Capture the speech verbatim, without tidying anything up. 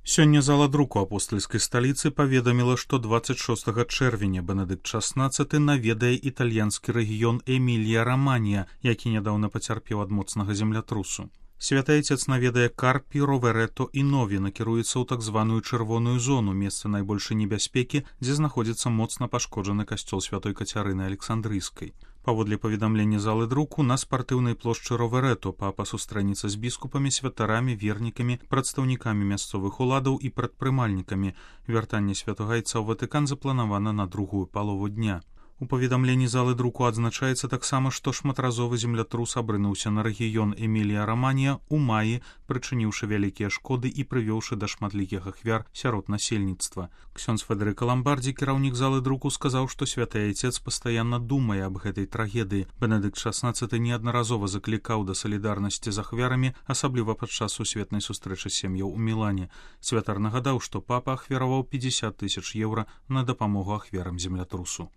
Сёння зала друку апостальскай сталіцы паведаміла, што дваццаць шостага чэрвеня Бенедыкт шаснаццаты наведае італьянскі рэгіён Эмілія-Раманія, які нядаўна пацярпеў ад моцнага землятрусу. Святы Айцец наведае Карпі, Роверето і Нові, накіруецца ў так званую чырвоную зону, месца найбольшай небяспекі, дзе знаходзіцца моцна пашкоджаны касцёл святой Кацярыны Александрыйскай. Паводле паведамлення залы друку, на спартыўнай плошчы Роверето папа сустрэніцца з біскупамі, святарамі, вернікамі, прадстаўнікамі мясцовых уладаў і прадпрымальнікамі. Вяртанне святога Айца ў Ватыкан запланавана на другую палову дня. У паведамленні залы друку адзначаецца таксама, што шматразовы землятрус абрынуўся на рэгіён Эмілія-Раманія ў маі, прычыніўшы вялікія шкоды і прывёўшы да шматлікіх ахвяр сярод насельніцтва. Ксёндз Федэрыка Ламбардзі, кіраўнік залы друку, сказаў, што святы Айцец пастаянна думае аб гэтай трагедыі. Бенедыкт шаснаццаты неаднаразова заклікаў да салідарнасці з ахвярамі, асабліва падчас сусветнай сустрэчы сем'яў у Мілане. Святар нагадаў, што папа ахвяраваў пятьдесят тысяч еўра на дапамогу ахвярам землятрусу.